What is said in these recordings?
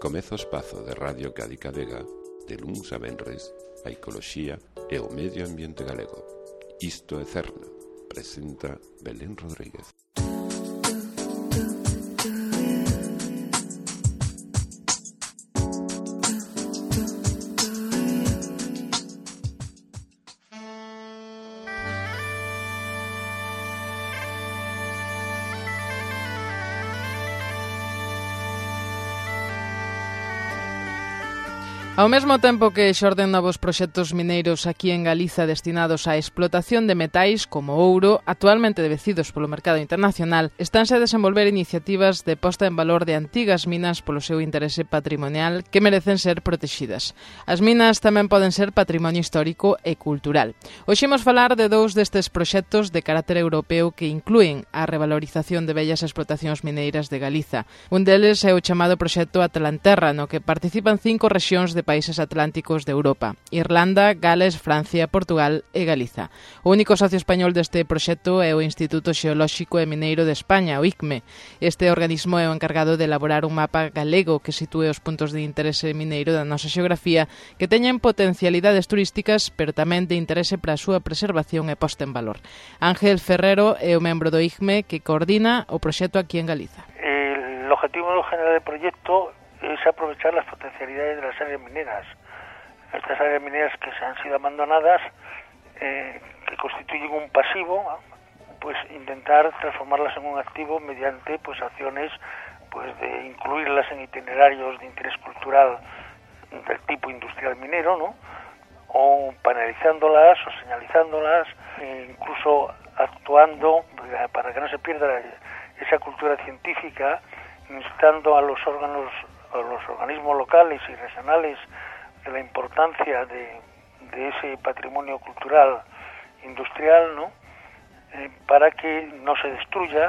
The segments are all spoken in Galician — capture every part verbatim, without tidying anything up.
Comeza o espazo de Radio Cádiz Vega de luns a venres a ecoloxía e o medio ambiente galego. Isto é Cerna, presenta Belén Rodríguez. Ao mesmo tempo que xorden novos proxectos mineiros aquí en Galiza destinados á explotación de metais como ouro, actualmente devecidos polo mercado internacional, estánse a desenvolver iniciativas de posta en valor de antigas minas polo seu interese patrimonial que merecen ser protexidas. As minas tamén poden ser patrimonio histórico e cultural. Hoxe imos falar de dous destes proxectos de carácter europeo que inclúen a revalorización de vellas explotacións mineiras de Galiza. Un deles é o chamado proxecto Atlanterra, no que participan cinco rexións de países atlánticos de Europa: Irlanda, Gales, Francia, Portugal e Galiza. O único socio español deste proxecto é o Instituto Xeolóxico e Mineiro de España, o I C M E. Este organismo é o encargado de elaborar un mapa galego que sitúe os puntos de interese mineiro da nosa xeografía que teñen potencialidades turísticas, pero tamén de interese para a súa preservación e posta en valor. Ángel Ferrero é o membro do I C M E que coordina o proxecto aquí en Galiza. El objetivo general del proyecto es aprovechar las potencialidades de las áreas mineras. Estas áreas mineras que se han sido abandonadas, eh, que constituyen un pasivo, pues intentar transformarlas en un activo mediante pues acciones pues de incluirlas en itinerarios de interés cultural del tipo industrial minero, ¿no? O panelizándolas o señalizándolas, e incluso actuando para que no se pierda esa cultura científica, instando a los órganos a los organismos locales y regionales de la importancia de, de ese patrimonio cultural industrial, ¿no? Eh, para que no se destruya.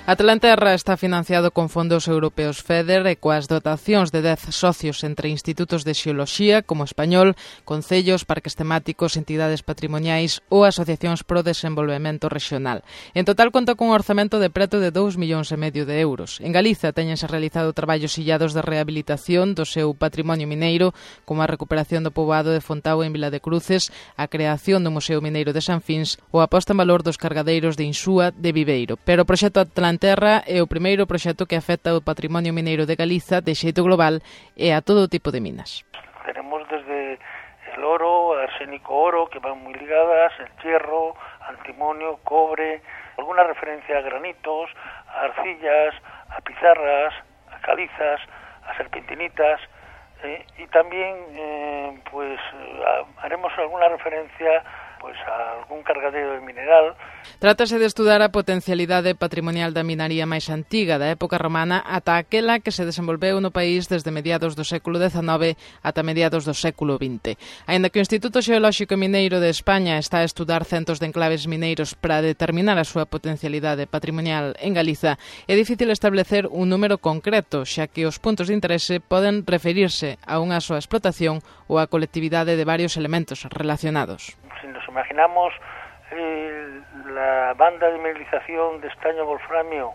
Atlanterra está financiado con fondos europeos FEDER e coas dotacións de dez socios entre institutos de xeoloxía como Español, concellos, parques temáticos, entidades patrimoniais ou asociacións pro desenvolvemento regional. En total conta cun orzamento de preto de dous millóns e medio de euros. En Galiza teñense realizado traballos illados de rehabilitación do seu patrimonio mineiro, como a recuperación do poboado de Fontao en Vila de Cruces, a creación do Museo Mineiro de San Fins ou a posta en valor dos cargadeiros de Insúa de Viveiro. Pero o proxecto Atlanterra Terra é o primeiro proxecto que afecta o patrimonio mineiro de Galiza de xeito global e a todo tipo de minas. Tenemos desde el oro, arsénico oro, que van muy ligadas, el hierro, antimonio, cobre, alguna referencia a granitos, a arcillas, a pizarras, a calizas, a serpentinitas, eh, y también eh, pues a, haremos alguna referencia pues a algún cargadero de mineral. Trátase de estudar a potencialidade patrimonial da minaría máis antiga da época romana ata aquela que se desenvolveu no país desde mediados do século dezenove ata mediados do século vinte. Aínda que o Instituto Xeolóxico e Mineiro de España está a estudar centos de enclaves mineiros para determinar a súa potencialidade patrimonial en Galiza, é difícil establecer un número concreto, xa que os puntos de interese poden referirse a unha soa explotación ou a colectividade de varios elementos relacionados. Si nos imaginamos eh, la banda de mineralización de estaño wolframio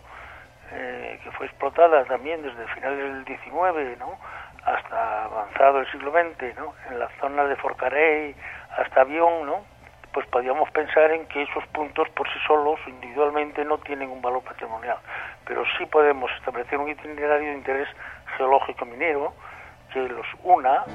eh, que fue explotada también desde finales del diecinueve, ¿no?, hasta avanzado el siglo veinte, ¿no?, en la zona de Forcarey hasta Avión, ¿no?, pues podríamos pensar en que esos puntos por sí solos individualmente no tienen un valor patrimonial, pero sí podemos establecer un itinerario de interés geológico minero que los una.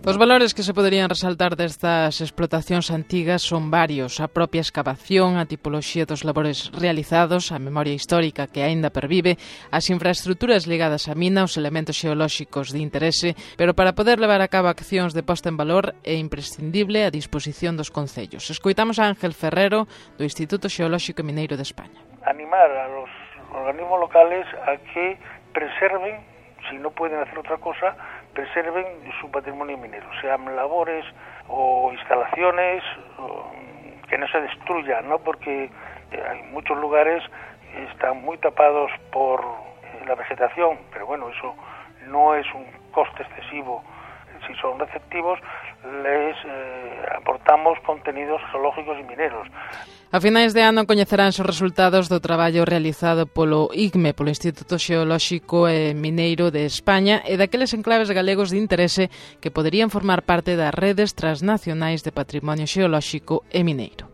Os valores que se poderían resaltar destas explotacións antigas son varios: a propia escavación, a tipoloxía dos labores realizados, a memoria histórica que aínda pervive, as infraestructuras ligadas á mina, os elementos xeolóxicos de interese, pero para poder levar a cabo accións de posta en valor é imprescindible a disposición dos concellos. Escoitamos a Ángel Ferrero do Instituto Xeolóxico e Mineiro de España. Animar a los organismos locales a que preserven, si no pueden hacer otra cosa, preserven su patrimonio minero, sean labores o instalaciones, o que no se destruyan, ¿no? Porque hay muchos lugares que están muy tapados por la vegetación, pero bueno, eso no es un coste excesivo si son receptivos, les eh, aportamos contenidos geológicos e mineros. A finais de ano coñeceránse os resultados do traballo realizado polo I C M E, polo Instituto Xeolóxico e Mineiro de España, e daqueles enclaves galegos de interese que poderían formar parte das redes transnacionais de patrimonio xeolóxico e mineiro.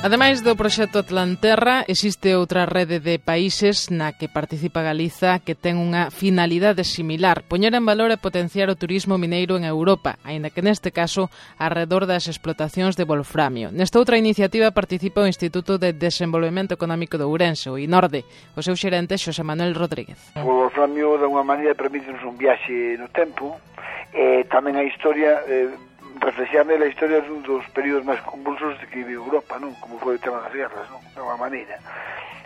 Ademais do proxecto Atlanterra, existe outra rede de países na que participa Galiza que ten unha finalidade similar, poñer en valor e potenciar o turismo mineiro en Europa, aínda que neste caso arredor das explotacións de wolframio. Nesta outra iniciativa participa o Instituto de Desenvolvemento Económico de Ourense, o INORDE, o seu xerente Xosé Manuel Rodríguez. O wolframio, de unha maneira, permite-nos un viaxe no tempo, e tamén a historia... Eh, reflexar nela a historia dun dos períodos máis convulsos que vive Europa, non? Como foi o tema das guerras, non? De unha maneira.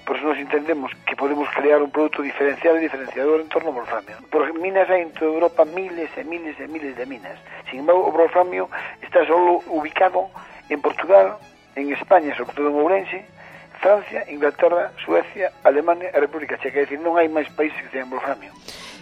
Por eso nos entendemos que podemos crear un produto diferencial e diferenciador en torno ao wolframio. Por minas hai en toda Europa miles e miles e miles de minas. Sin embargo, o wolframio está solo ubicado en Portugal, en España, sobre todo en Ourense, Francia, Inglaterra, Suecia, Alemania e República Checa. É dicir, non hai máis países que teñan wolframio.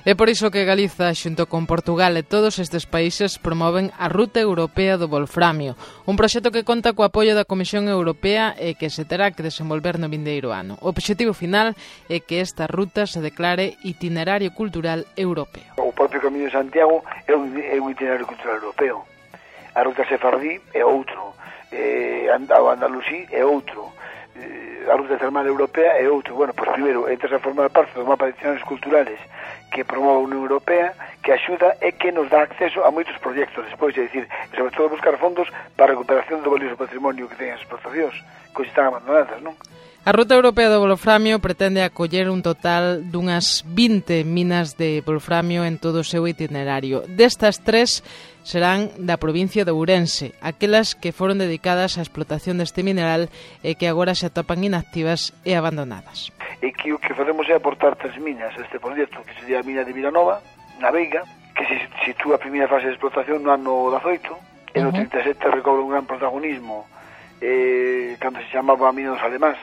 É por iso que Galiza, xunto con Portugal e todos estes países, promoven a Ruta Europea do Wolframio, un proxecto que conta co apoio da Comisión Europea e que se terá que desenvolver no vindeiro ano. O obxectivo final é que esta ruta se declare itinerario cultural europeo. O propio Camiño de Santiago é un, é un itinerario cultural europeo. A Ruta Sefardí é outro, eh, o Andalusí é outro, eh, a Ruta Termal Europea é outro. Bueno, pois primeiro, entras a formar parte do mapa de itineraриos culturales que promove a Unión Europea, que axuda e que nos dá acceso a moitos proxectos despois, é dicir, sobre todo buscar fondos para a recuperación do valioso patrimonio que teñen as explotacións, que están abandonadas, non? A Ruta Europea do Wolframio pretende acoller un total dunhas vinte minas de wolframio en todo o seu itinerario. Destas tres serán da provincia de Ourense, aquelas que foron dedicadas á explotación deste mineral e que agora se atopan inactivas e abandonadas. E que o que facemos é aportar tres minas a este proxecto, que sería a mina de Vilanova, na Veiga, que se sitúa a primeira fase de explotación no ano dezoito, e no trinta e sete recobra un gran protagonismo eh, cando se chamaba a mina dos Alemáns.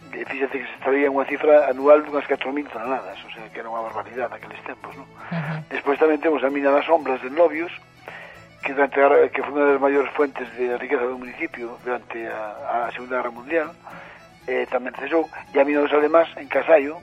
E fíxate que se estaría unha cifra anual dunhas catro mil toneladas, o sea, que era unha barbaridade naqueles tempos, non? Uh-huh. Despois tamén temos a mina das Sombras de Novios, que, durante a, que foi unha das maiores fuentes de riqueza do municipio durante a, a Segunda Guerra Mundial, eh, tamén cesou, e a mina dos Alemáns en Casallo,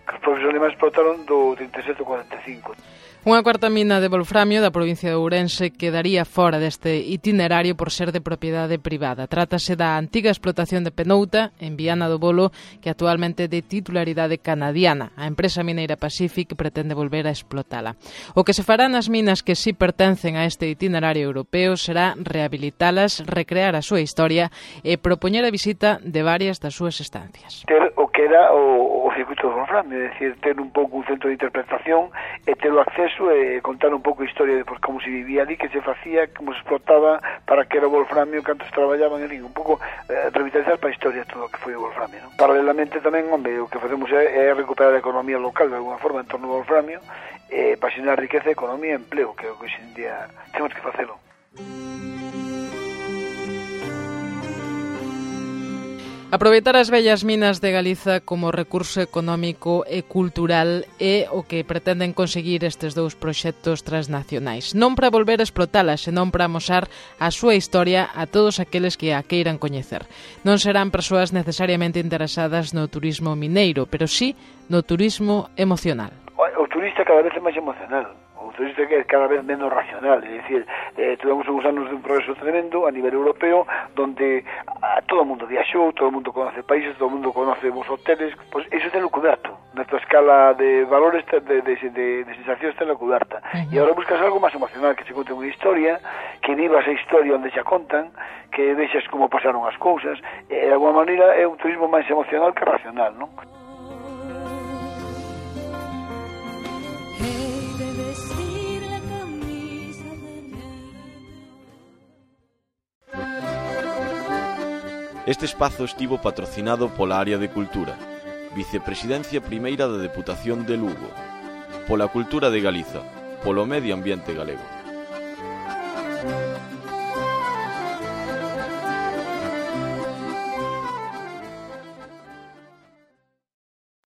que os propios alemáns explotaron do trinta e sete ao cuarenta e cinco. Unha cuarta mina de wolframio da provincia de Ourense quedaría fora deste itinerario por ser de propiedade privada. Trátase da antiga explotación de Penouta, en Viana do Bolo, que actualmente é de titularidade canadiana. A empresa mineira Pacific pretende volver a explotala. O que se fará nas minas que si pertencen a este itinerario europeo será rehabilitalas, recrear a súa historia e propoñer a visita de varias das súas estancias. Ter o que era o, o circuito do wolframio, é dicir, ter un pouco un centro de interpretación e ter o acceso e contar un pouco a historia de por como se vivía ali, que se facía, como se explotaba, para que era o wolframio, cantos traballaban ali, un pouco eh, revitalizar para a historia todo o que foi o wolframio, non? Paralelamente tamén, hombre, o que facemos é, é recuperar a economía local de alguna forma en torno ao wolframio, e eh, pasinar riqueza, economía e empleo, que é o que hoxe en día temos que facelo. Aproveitar as vellas minas de Galiza como recurso económico e cultural é o que pretenden conseguir estes dous proxectos transnacionais. Non para volver a explotalas, senón para amosar a súa historia a todos aqueles que a queiran coñecer. Non serán persoas necesariamente interesadas no turismo mineiro, pero sí no turismo emocional. O turista cada vez é máis emocional. O turista que é cada vez menos racional, é dicir, eh, tuvemos uns anos de un progreso tremendo a nivel europeo, donde a, todo o mundo viaxou, todo o mundo conoce países, todo o mundo conoce os hoteles, pois pues, iso ten o coberto, na tua escala de valores, de, de, de, de sensacións ten o coberta, uh-huh. E agora buscas algo máis emocional, que se conte unha historia, que vivas a historia onde xa contan, que vexas como pasaron as cousas, e de alguma maneira é un turismo máis emocional que racional, non? Este espazo estivo patrocinado pola Área de Cultura, Vicepresidencia Primeira da Deputación de Lugo, pola Cultura de Galiza, polo Medio Ambiente Galego.